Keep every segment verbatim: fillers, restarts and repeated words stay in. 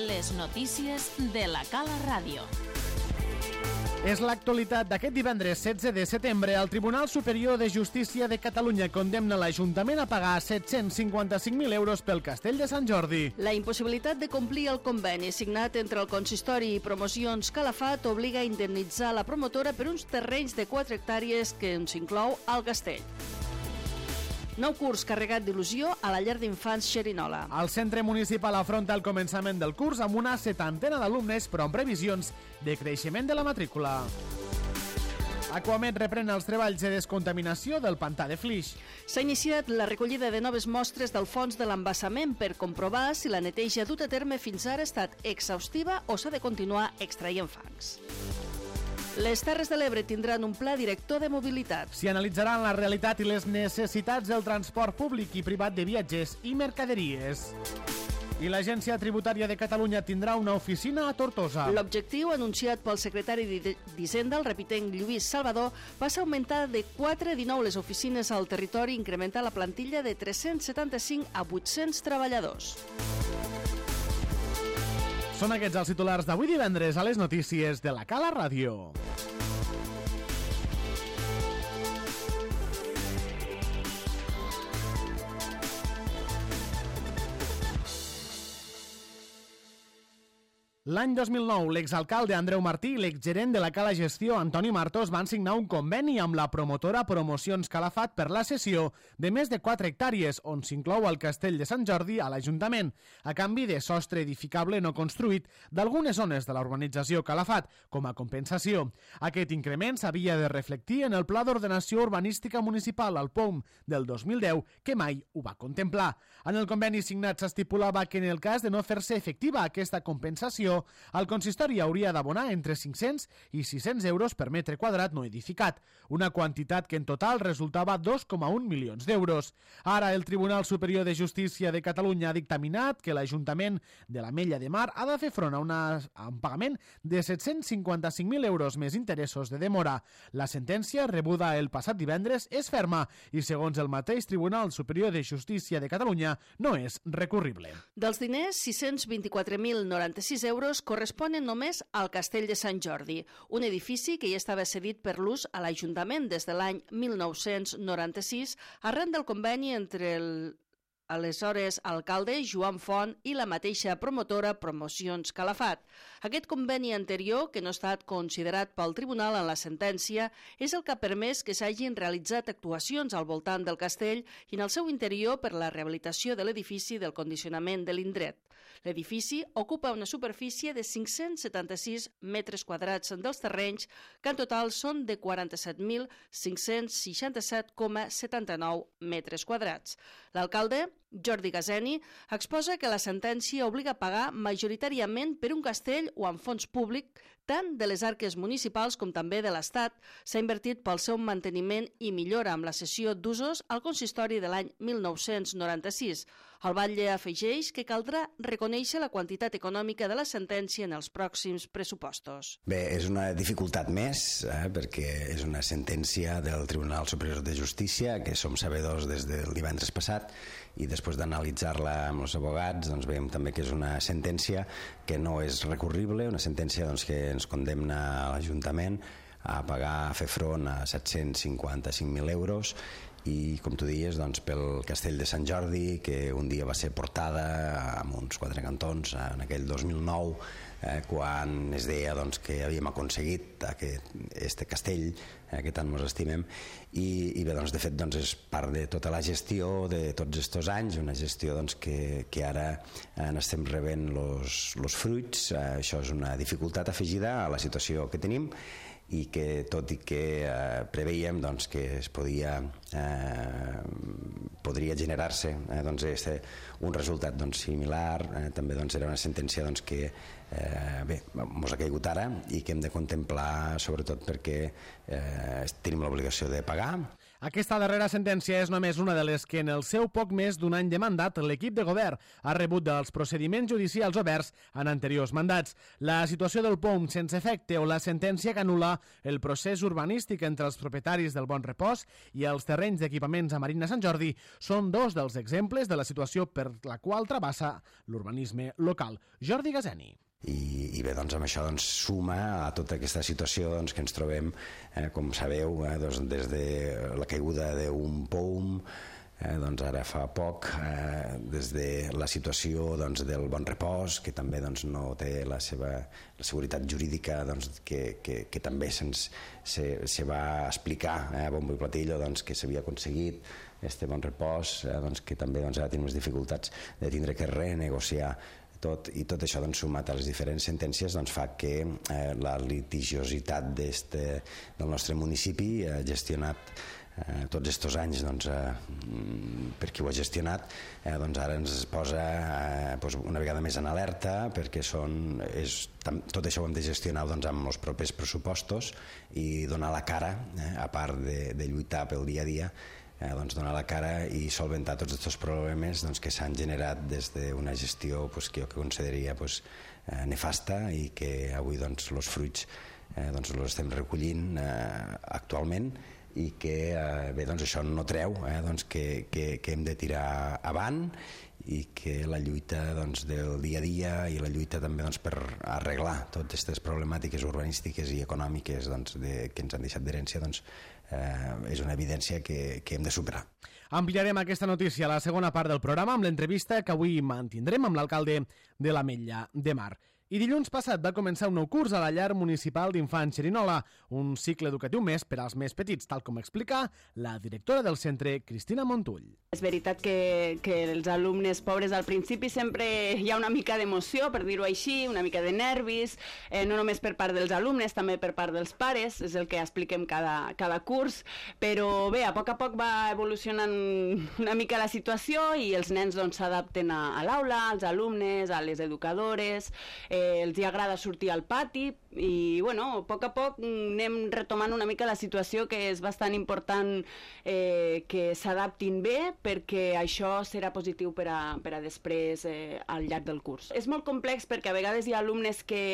Les notícies de la Cala Ràdio. És l'actualitat d'aquest divendres setze de setembre. El Tribunal Superior de Justícia de Catalunya condemna l'Ajuntament a pagar set-cents cinquanta-cinc mil euros pel Castell de Sant Jordi. La impossibilitat de complir el conveni signat entre el Consistori i Promocions Calafat obliga a indemnitzar la promotora per uns terrenys de quatre hectàrees que s'inclou al castell. Nou curs carregat d'il·lusió a la llar d'infants Xerinola. El centre municipal afronta el començament del curs amb una setantena d'alumnes, però amb previsions de creixement de la matrícula. Aquamed reprèn els treballs de descontaminació del pantà de Flix. S'ha iniciat la recollida de noves mostres del fons de l'embassament per comprovar si la neteja duta a terme fins ara ha estat exhaustiva o s'ha de continuar extraient fangs. Les Terres de l'Ebre tindran un pla director de mobilitat. S'hi analitzaran la realitat i les necessitats del transport públic i privat de viatgers i mercaderies. I l'Agència Tributària de Catalunya tindrà una oficina a Tortosa. L'objectiu, anunciat pel secretari d'Hisenda, el repitent Lluís Salvador, va ser augmentar de quatre a dinou les oficines al territori i incrementar la plantilla de tres-cents setanta-cinc a vuit-cents treballadors. Són aquests els titulars d'avui divendres a les notícies de la Cala Ràdio. L'any dos mil nou, l'exalcalde Andreu Martí i l'exgerent de la Cala Gestió, Antoni Martos, van signar un conveni amb la promotora Promocions Calafat per la cessió de més de quatre hectàrees, on s'inclou el Castell de Sant Jordi a l'Ajuntament, a canvi de sostre edificable no construït d'algunes zones de la urbanització Calafat, com a compensació. Aquest increment s'havia de reflectir en el Pla d'Ordenació Urbanística Municipal, el P O M, del dos mil deu, que mai ho va contemplar. En el conveni signat s'estipulava que en el cas de no fer-se efectiva aquesta compensació, el consistori hauria d'abonar entre cinc-cents i sis-cents euros per metre quadrat no edificat, una quantitat que en total resultava dos coma un milions d'euros. Ara el Tribunal Superior de Justícia de Catalunya ha dictaminat que l'Ajuntament de l'Ametlla de Mar ha de fer front a, una, a un pagament de set-cents cinquanta-cinc mil euros més interessos de demora. La sentència, rebuda el passat divendres, és ferma i, segons el mateix Tribunal Superior de Justícia de Catalunya, no és recurrible. Dels diners, sis-cents vint-i-quatre mil noranta-sis euros corresponen només al Castell de Sant Jordi, un edifici que ja estava cedit per l'ús a l'Ajuntament des de l'any mil nou-cents noranta-sis, arran del conveni entre el aleshores alcalde Joan Font i la mateixa promotora Promocions Calafat. Aquest conveni anterior, que no ha estat considerat pel tribunal en la sentència, és el que ha permès que s'hagin realitzat actuacions al voltant del castell i en el seu interior per la rehabilitació de l'edifici del condicionament de l'indret. L'edifici ocupa una superfície de cinc-cents setanta-sis metres quadrats dels terrenys, que en total són de quaranta-set mil cinc-cents seixanta-set coma setanta-nou metres quadrats. L'alcalde, Jordi Gazeni, exposa que la sentència obliga a pagar majoritàriament per un castell o amb fons públic, tant de les arques municipals com també de l'Estat. S'ha invertit pel seu manteniment i millora amb la cessió d'usos al consistori de l'any mil nou-cents noranta-sis. El batlle afegeix que caldrà reconèixer la quantitat econòmica de la sentència en els pròxims pressupostos. Bé, és una dificultat més, eh, perquè és una sentència del Tribunal Superior de Justícia, que som sabedors des del divendres passat, i després d'analitzar-la amb els abogats doncs veiem també que és una sentència que no és recurrible, una sentència doncs, que ens condemna a l'Ajuntament a pagar, a fer front a set-cents cinquanta-cinc mil euros i, com tu dius, doncs, pel Castell de Sant Jordi, que un dia va ser portada amb uns quatre cantons en aquell dos mil nou, eh, quan es deia doncs, que havíem aconseguit aquest este castell eh, que tant ens estimem, i, i bé, doncs, de fet doncs, és part de tota la gestió de tots aquests anys, una gestió doncs, que, que ara eh, n'estem rebent els fruits. Eh, això és una dificultat afegida a la situació que tenim i que, tot i que eh, preveiem doncs, que es podia eh, podria generar-se eh, doncs, este, un resultat doncs, similar, eh, també doncs, era una sentència doncs, que eh, bé, mos ha caigut ara i que hem de contemplar, sobretot perquè eh, tenim l'obligació de pagar. Aquesta darrera sentència és només una de les que en el seu poc més d'un any de mandat l'equip de govern ha rebut dels procediments judicials oberts en anteriors mandats. La situació del P O M sense efecte o la sentència que anul·la el procés urbanístic entre els propietaris del Bon Repòs i els terrenys d'equipaments a Marina Sant Jordi són dos dels exemples de la situació per la qual travessa l'urbanisme local. Jordi Gazeni. I, i bé, doncs amb això doncs, suma a tota aquesta situació doncs, que ens trobem, eh, com sabeu, eh, doncs, des de la caiguda d'un P O M, eh, doncs ara fa poc, eh, des de la situació doncs, del Bon Repòs, que també doncs, no té la seva la seguretat jurídica doncs, que, que, que també se'ns se, se va explicar eh, a bombo i platillo doncs, que s'havia aconseguit este Bon Repòs, eh, doncs, que també doncs, ara tenim les dificultats de tindre que renegociar tot, i tot això doncs, sumat a les diferents sentències doncs, fa que eh, la litigiositat del nostre municipi ha eh, gestionat eh, tots aquests anys doncs, eh, per qui ho ha gestionat eh, doncs ara ens posa eh, doncs una vegada més en alerta perquè són, és, tam, tot això ho hem de gestionar doncs, amb els propers pressupostos i donar la cara, eh, a part de, de lluitar pel dia a dia, Eh, doncs donar la cara i solventar tots aquests problemes doncs, que s'han generat des d'una gestió pues, que jo que consideraria pues, eh, nefasta i que avui doncs, els fruits eh, doncs, els estem recollint eh, actualment i que eh, bé, doncs, això no treu eh, doncs, que, que, que hem de tirar avant i que la lluita doncs, del dia a dia i la lluita també doncs, per arreglar totes aquestes problemàtiques urbanístiques i econòmiques doncs, de, que ens han deixat d'herència doncs, eh, és una evidència que, que hem de superar. Ampliarem aquesta notícia a la segona part del programa amb l'entrevista que avui mantindrem amb l'alcalde de l'Ametlla de Mar. I dilluns passat va començar un nou curs a la llar municipal d'infants Xerinola, un cicle educatiu més per als més petits, tal com explica la directora del centre, Cristina Montull. És veritat que, que els alumnes pobres al principi sempre hi ha una mica d'emoció, per dir-ho així, una mica de nervis, eh, no només per part dels alumnes, també per part dels pares, és el que expliquem cada, cada curs, però bé, a poc a poc va evolucionant una mica la situació i els nens doncs, s'adapten a, a l'aula, als alumnes, a les educadores, eh, els hi agrada sortir al pati i bueno, a poc a poc anem retomant una mica la situació, que és bastant important eh, que s'adaptin bé perquè això serà positiu per a, per a després eh, al llarg del curs. És molt complex perquè a vegades hi ha alumnes que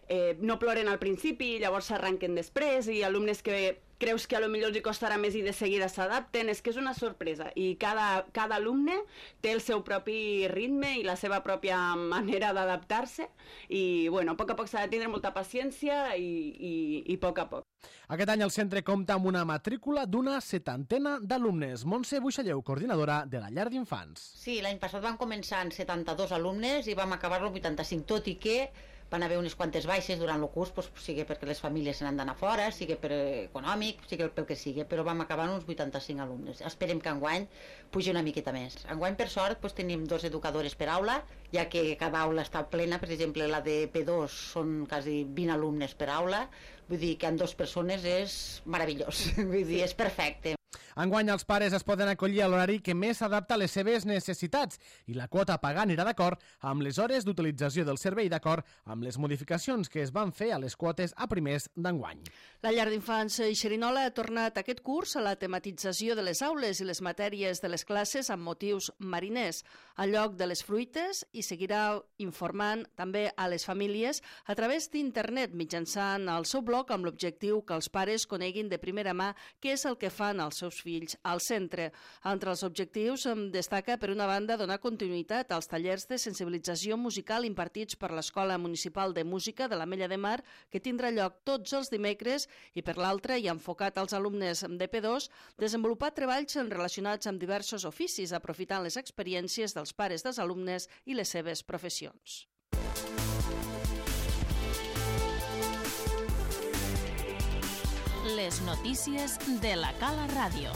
eh, no ploren al principi, llavors s'arranquen després, i alumnes que creus que a lo millor els hi costarà més i de seguida s'adapten. És que és una sorpresa i cada, cada alumne té el seu propi ritme i la seva pròpia manera d'adaptar-se i bueno, a poc a poc s'ha de tindre molta paciència i, i, i a poc a poc. Aquest any el centre compta amb una matrícula d'una setantena d'alumnes. Montse Buixalleu, coordinadora de la llar d'infants. Sí, l'any passat vam començar amb setanta-dos alumnes i vam acabar-lo amb vuitanta-cinc, tot i que van haver unes quantes baixes durant el curs, doncs, sigui perquè les famílies se n'han d'anar fora, sigui per econòmic, sigui pel que sigui, però vam acabar amb uns vuitanta-cinc alumnes. Esperem que enguany pugi una miqueta més. Enguany, per sort, doncs, tenim dos educadores per aula, ja que cada aula està plena, per exemple, la de P dos són quasi vint alumnes per aula, vull dir que amb dues persones és meravellós, vull dir, és perfecte. Enguany els pares es poden acollir a l'horari que més s'adapta a les seves necessitats i la quota a pagar anirà d'acord amb les hores d'utilització del servei, d'acord amb les modificacions que es van fer a les quotes a primers d'enguany. La llar d'infants Xerinola ha tornat aquest curs a la tematització de les aules i les matèries de les classes amb motius mariners, al lloc de les fruites, i seguirà informant també a les famílies a través d'internet mitjançant el seu blog amb l'objectiu que els pares coneguin de primera mà què és el que fan els seus fills al centre. Entre els objectius destaca, per una banda, donar continuïtat als tallers de sensibilització musical impartits per l'Escola Municipal de Música de l'Ametlla de Mar, que tindrà lloc tots els dimecres, i per l'altra, i enfocat als alumnes de P dos, desenvolupar treballs relacionats amb diversos oficis, aprofitant les experiències dels pares dels alumnes i les seves professions. Les notícies de la Cala Ràdio.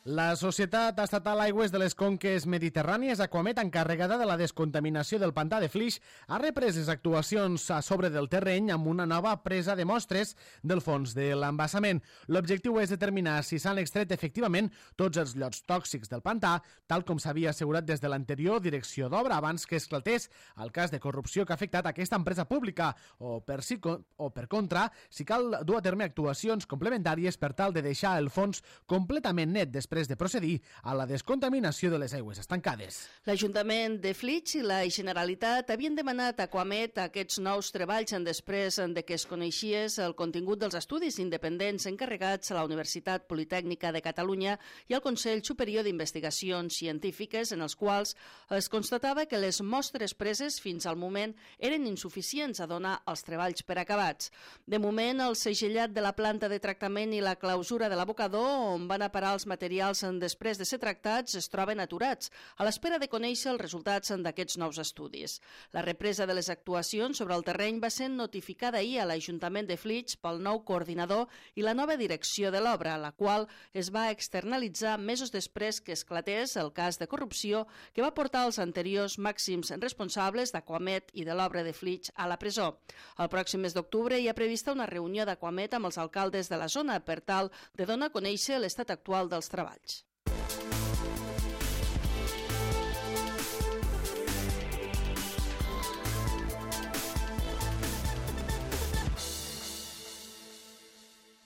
La Societat Estatal Aigües de les Conques Mediterrànies, Aquamet, encarregada de la descontaminació del pantà de Flix, ha reprès les actuacions a sobre del terreny amb una nova presa de mostres del fons de l'embassament. L'objectiu és determinar si s'han extret efectivament tots els llots tòxics del pantà, tal com s'havia assegurat des de l'anterior direcció d'obra abans que esclatés el cas de corrupció que ha afectat aquesta empresa pública, o per, si, o per contra, si cal dur a terme actuacions complementàries per tal de deixar el fons completament net després de procedir a la descontaminació de les aigües estancades. L'Ajuntament de Flix i la Generalitat havien demanat a Aquamet aquests nous treballs després de que es coneixies el contingut dels estudis independents encarregats a la Universitat Politècnica de Catalunya i al Consell Superior d'Investigacions Científiques, en els quals es constatava que les mostres preses fins al moment eren insuficients a donar els treballs per acabats. De moment, el segellat de la planta de tractament i la clausura de l'abocador, on van a parar els materials després de ser tractats, es troben aturats, a l'espera de conèixer els resultats d'aquests nous estudis. La represa de les actuacions sobre el terreny va ser notificada ahir a l'Ajuntament de Flix pel nou coordinador i la nova direcció de l'obra, la qual es va externalitzar mesos després que esclatés el cas de corrupció que va portar els anteriors màxims responsables d'Aquamet i de l'obra de Flix a la presó. El pròxim mes d'octubre hi ha prevista una reunió d'Aquamet amb els alcaldes de la zona per tal de donar a conèixer l'estat actual dels treballs.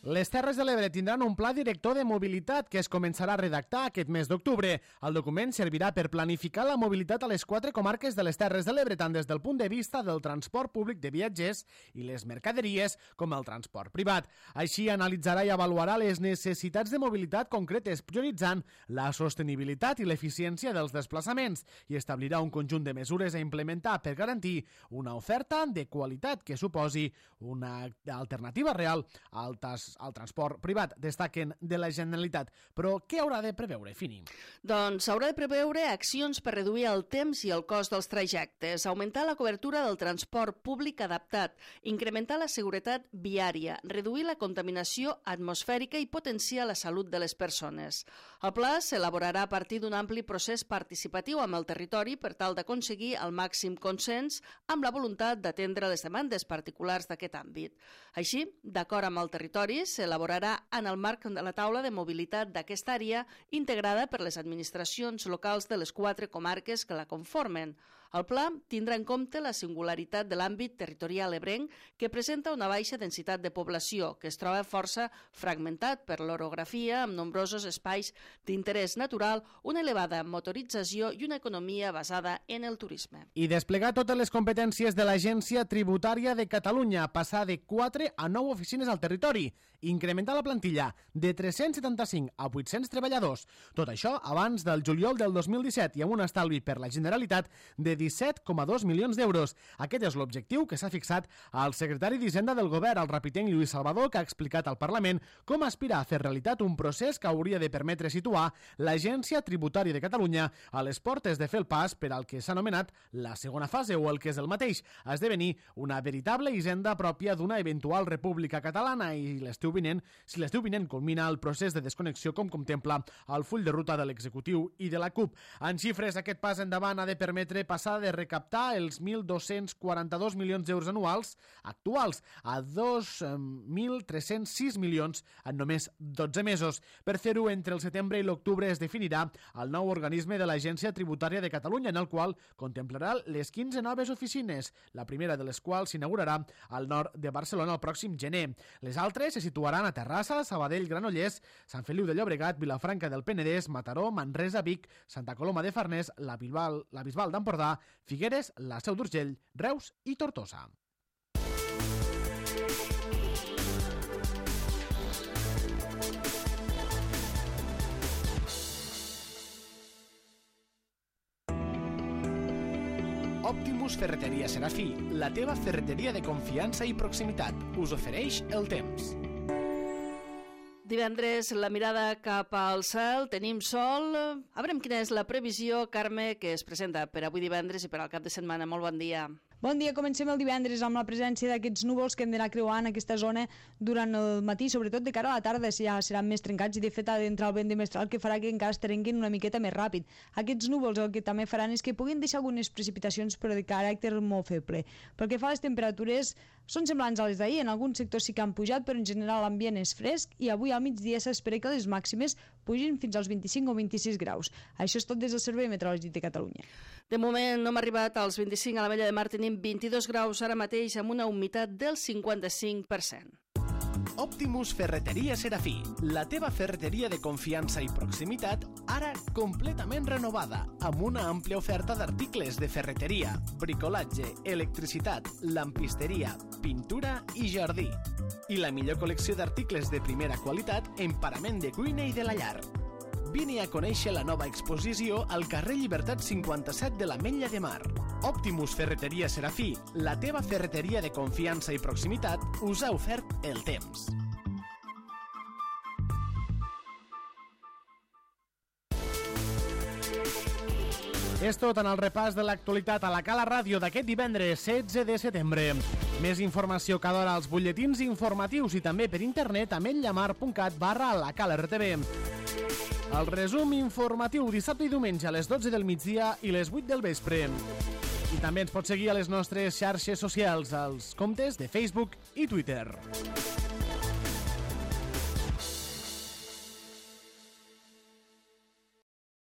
Les Terres de l'Ebre tindran un pla director de mobilitat que es començarà a redactar aquest mes d'octubre. El document servirà per planificar la mobilitat a les quatre comarques de les Terres de l'Ebre, tant des del punt de vista del transport públic de viatgers i les mercaderies com el transport privat. Així, analitzarà i avaluarà les necessitats de mobilitat concretes, prioritzant la sostenibilitat i l'eficiència dels desplaçaments i establirà un conjunt de mesures a implementar per garantir una oferta de qualitat que suposi una alternativa real al tas al transport privat, destaquen de la Generalitat. Però què haurà de preveure, Fini? Doncs haurà de preveure accions per reduir el temps i el cost dels trajectes, augmentar la cobertura del transport públic adaptat, incrementar la seguretat viària, reduir la contaminació atmosfèrica i potenciar la salut de les persones. El pla s'elaborarà a partir d'un ampli procés participatiu amb el territori per tal d'aconseguir el màxim consens amb la voluntat d'atendre les demandes particulars d'aquest àmbit. Així, d'acord amb el territori, s'elaborarà en el marc de la taula de mobilitat d'aquesta àrea integrada per les administracions locals de les quatre comarques que la conformen. El pla tindrà en compte la singularitat de l'àmbit territorial ebrenc que presenta una baixa densitat de població, que es troba força fragmentat per l'orografia amb nombrosos espais d'interès natural, una elevada motorització i una economia basada en el turisme. I desplegar totes les competències de l'Agència Tributària de Catalunya, passar de quatre a nou oficines al territori, incrementar la plantilla de tres-cents setanta-cinc a vuit-cents treballadors. Tot això abans del juliol del dos mil disset i amb un estalvi per la Generalitat de disset coma dos milions d'euros. Aquest és l'objectiu que s'ha fixat al secretari d'Hisenda del Govern, el rapitenc Lluís Salvador, que ha explicat al Parlament com aspira a fer realitat un procés que hauria de permetre situar l'Agència Tributària de Catalunya a les portes de fer el pas per al que s'ha anomenat la segona fase, o el que és el mateix, esdevenir una veritable hisenda pròpia d'una eventual república catalana, i l'estiu vinent, si l'estiu vinent culmina el procés de desconnexió com contempla el full de ruta de l'executiu i de la CUP. En xifres, aquest pas endavant ha de permetre passar de recaptar els mil dos-cents quaranta-dos milions d'euros anuals actuals a dos mil tres-cents sis milions en només dotze mesos. Per fer-ho, entre el setembre i l'octubre es definirà el nou organisme de l'Agència Tributària de Catalunya, en el qual contemplarà les quinze noves oficines, la primera de les quals s'inaugurarà al nord de Barcelona el pròxim gener. Les altres se situaran a Terrassa, Sabadell, Granollers, Sant Feliu de Llobregat, Vilafranca del Penedès, Mataró, Manresa, Vic, Santa Coloma de Farners, la Bisbal, la Bisbal d'Empordà, Figueres, la Seu d'Urgell, Reus i Tortosa. Optimus Ferreteria Serafí, la teva ferreteria de confiança i proximitat, us ofereix el temps. Divendres, la mirada cap al cel, tenim sol. A veure quina és la previsió, Carme, que es presenta per avui divendres i per al cap de setmana. Molt bon dia. Bon dia, comencem el divendres amb la presència d'aquests núvols que hem d'anar creuant aquesta zona durant el matí, sobretot de cara a la tarda, si ja seran més trencats i de fet ha d'entrar el vent de mestral que farà que encara es trenquin una miqueta més ràpid. Aquests núvols el que també faran és que puguin deixar algunes precipitacions però de caràcter molt feble. Pel que fa a les temperatures, són semblants a les d'ahir, en alguns sectors sí que han pujat, però en general l'ambient és fresc i avui al migdia s'espera que les màximes pugin fins als vint-i-cinc o vint-i-sis graus. Això és tot des del Servei Meteorològic de Catalunya. De moment no hem arribat als vint-i-cinc, a la Mella de Mar tenim vint-i-dos graus ara mateix amb una humitat del cinquanta-cinc per cent. Optimus Ferreteria Serafí, la teva ferreteria de confiança i proximitat, ara completament renovada, amb una àmplia oferta d'articles de ferreteria, bricolatge, electricitat, lampisteria, pintura i jardí. I la millor col·lecció d'articles de primera qualitat en parament de cuina i de la llar. Vine a conèixer la nova exposició al carrer Llibertat cinquanta-set de l'Ametlla de Mar. Optimus Ferreteria Serafí, la teva ferreteria de confiança i proximitat, us ha ofert el temps. És tot en el repàs de l'actualitat a la Cala Ràdio d'aquest divendres setze de setembre. Més informació cada hora als butlletins informatius i també per internet a ametllamar.cat barra la Cala R T V. El resum informatiu dissabte i diumenge a les dotze del migdia i les vuit del vespre. I també ens pots seguir a les nostres xarxes socials, als comptes de Facebook i Twitter.